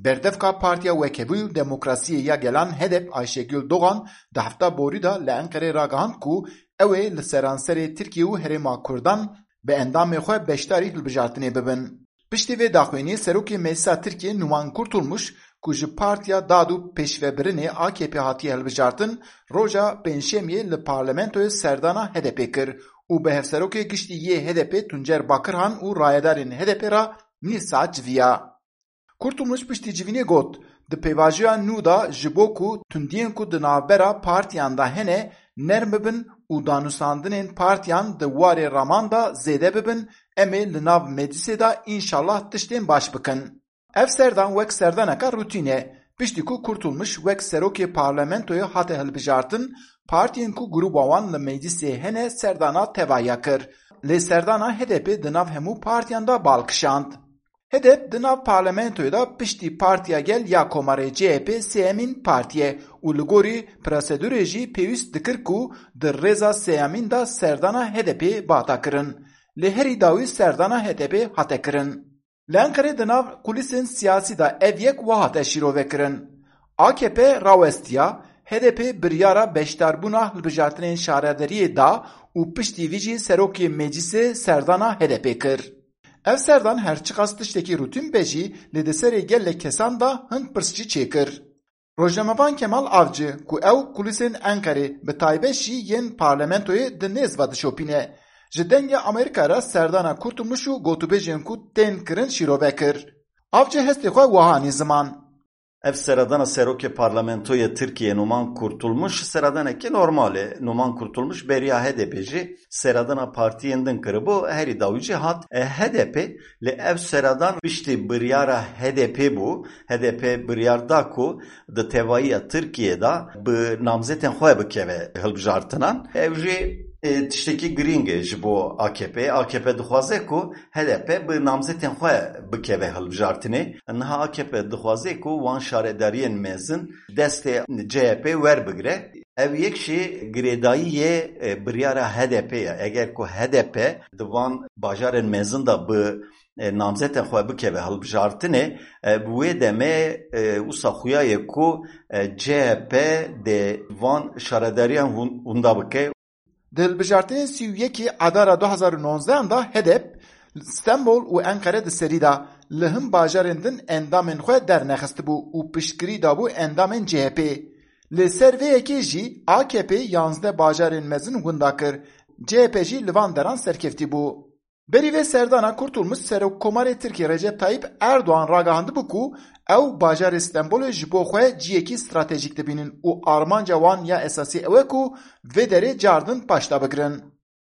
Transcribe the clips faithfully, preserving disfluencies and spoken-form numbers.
Berdevka Partiya Wekhevî û Demokrasiyê ya Gelan HEDEP Ayşegül Doğan di hefta borî de li Enqerê ragihand ku ew ê li seranserê Tirkiye û Herêma Kurdan bi endamê xwe beşdarî hilbijartinê bibin. Piştî vê daxuyaniyê Serokê Meclisa Tirkiyê Numan Kurtulmuş ku ji Partiya Dad û Pêşvebirinê A K P hatiye hilbijartin, roja Pêncşemiyê li parlamentoyê serdana HEDEPê kir û bi Hevserokê Giştî yê HEDEPê Tuncer Bakirhan û rayedarên HEDEPê re nîv saet civiya. Kurtulmuş piştî civînê got, di pêvajoya nû de ji bo ku tundiyên ku di navbera partiyan de hene nerm bibin û danûstandinên partiyan di warê raman de zêde bibin, em ê li nav meclisê de înşallah tiştên baş bikin. Ev serdan wek serdaneka rutîn e. Piştî ku Kurtulmuş wek serokê parlamentoyê hate hilbijartin, partiyên ku grûba wan li meclisê hene serdana tevahiya kir. Lê serdana HEDEPê di nav hemû partiyan de bal kişand. HEDEP di nav parlamentoyê de piştî Partiya Gel ya Komarê C H P sêyemîn partî ye û li gorî prosedûrê jî pêwîst dikir ku di rêza sêyemîn de serdana HEDEPê bihata kirin. Lê herî dawî serdana HEDEPê hate kirin. Li Enqerê di nav kulîsên siyasî de ev yek wiha hate şîrovekirin. A K P rawestiya, HEDEPê biryara beşdarbûna hilbijartinên şaredariyê da û piştî vî jî serokê meclisê serdana HEDEPê kir. Ev serdan her çiqas tiştekî rutîn be jî, lê di serê gelek kesan de hin pirs jî çêkir. Rojnamevan Kemal Avcı, ku ew kulîsên Enqerê, bi taybet jî yên parlamentoyê di nêz ve dişopîne, ji Dengê Amerîka re serdana Kurtulmuş û gotûbêjên ku tên kirin şîrove kir. Avcı hestê xwe wiha anî ziman. Ev seredana serokê parlamentoyê Tirkiyê Numan Kurtulmuş seredanekî normal e. Numan Kurtulmuş beriya HEDEPê jî seredana partiyên din kiribû, herî dawî jî hat, e, HEDEPê. Lê ev seredan piştî biryara HEDEPê bû. HEDEP biryar da ku di tevahiya Tirkiyê de bi namzetên xwe bikeve hilbijartinan. Ev jî, e, tiştekî girîng e ji bo A K P. A K P dixwaze ku HEDEP bi namzetên xwe bikeve hilbijartinê. Niha A K P dixwaze ku wan şaredariyên mezin destê C H P werbigire. Ev yek jî girêdayî yê, e, biryara HEDEPê ye. Eger ku HEDEP di van bajarên mezin de bi, e, namzetên xwe bikeve hilbijartinê, e, bi wê demê, e, wisa xuya ye ku, e, C H P dê van şaredariyan hûn-, hûnda bike. Di hilbijartinên sî û yekê Adara du hazar û nozdehan de HEDEP Stenbol û Enqere di serî de li hin bajarên din endamên xwe dernexistibû û piştgirî dabû endamên C H P. Li ser vê yekê jî A K P yanzdeh bajarên mezin winda kir. C H P jî li van deran serkeftî bû. Berî vê serdana Kurtulmuş Serokkomarê Tirkiyê Recep Tayyip Erdoğan ragihandibû ku ew bajarê Stenbolê ji bo xwe ciyekî stratejîk dibînin û armanca wan ya esasî ew e ku vê derê cardin paşda bigirin.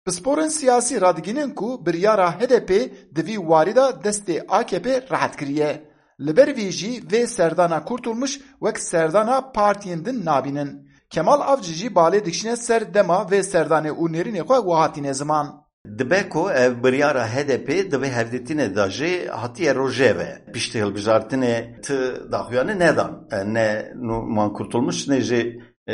Pisporên siyasî radigihînin ku biryara HEDEPê di vî warî de destê A K P rehet kiriye. Li ber vî jî vê serdana Kurtulmuş wek serdana partiyên din nabînin. Kemal Avcı jî balê dikişîne ser dema vê serdanê û nêrînê xwe wiha tîne ziman. Dibe ku ev biryara HEDEPê di vê hevdîtinê de jî hatiye rojeve. Piştî hilbijartinê ti daxuyanî nedan. E, ne Numan Kurtulmuş ne jî, e,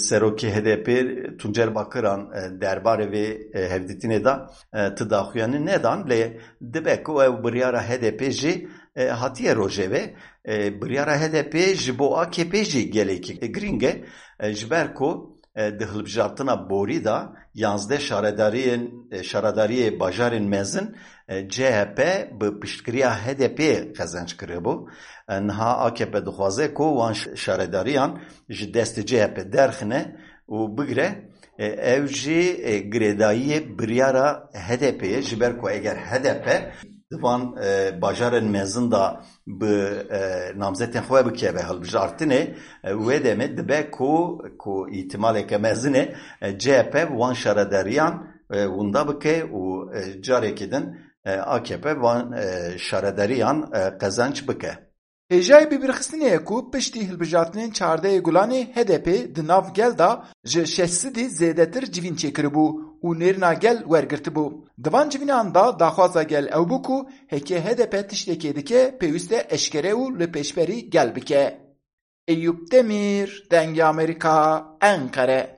serokê HEDEPê Tuncer Bakiran, e, derbarê vê, e, hevdîtinê de, e, ti daxuyanî nedan. Lê dibe ku ev biryara HEDEPê jî, e, hatiye rojeve. E, biryara HEDEPê ji bo A K P jî gelekî girîng e. E, ji ber ku, e, di hilbijartina borî de yanzdeh şaredariyên, e, şaredariyê bajarên mezin, e, C H P bi piştgiriya HEDEPê qezenc kiribû. E, niha A K P dixwaze ku wan ş-, şaredariyan ji destê C H P derxine û bigire. E, ev jî, e, girêdayiyê biryara HEDEPê ye, ji ber ku eger HEDEP di van, e, bajarên mezin de bi, e, namzetên xwe bikeve hilbijartinê, e, wê demê dibe ku, ku îhtimaleke mezin e, e, C H P wan şaredariyan, e, winda bike û, e, carekî din, e, A K P van, e, şaredariyan, e, qezenc bike. Hêjayî bibîrxistinê ye ku piştî hilbijartinên çardehê Gulanê HEDEPê di nav gel de ji şeş sedî zêdetir civîn çêkiribû û nêrîna gel wergirtibû. Di van civînan de daxwaza gel ew bû ku heke HEDEP tiştekê dike, pêwîst e eşkere û li pêşberî gel bike. Eyûp Demîr, Dengê Amerîka, Enqere.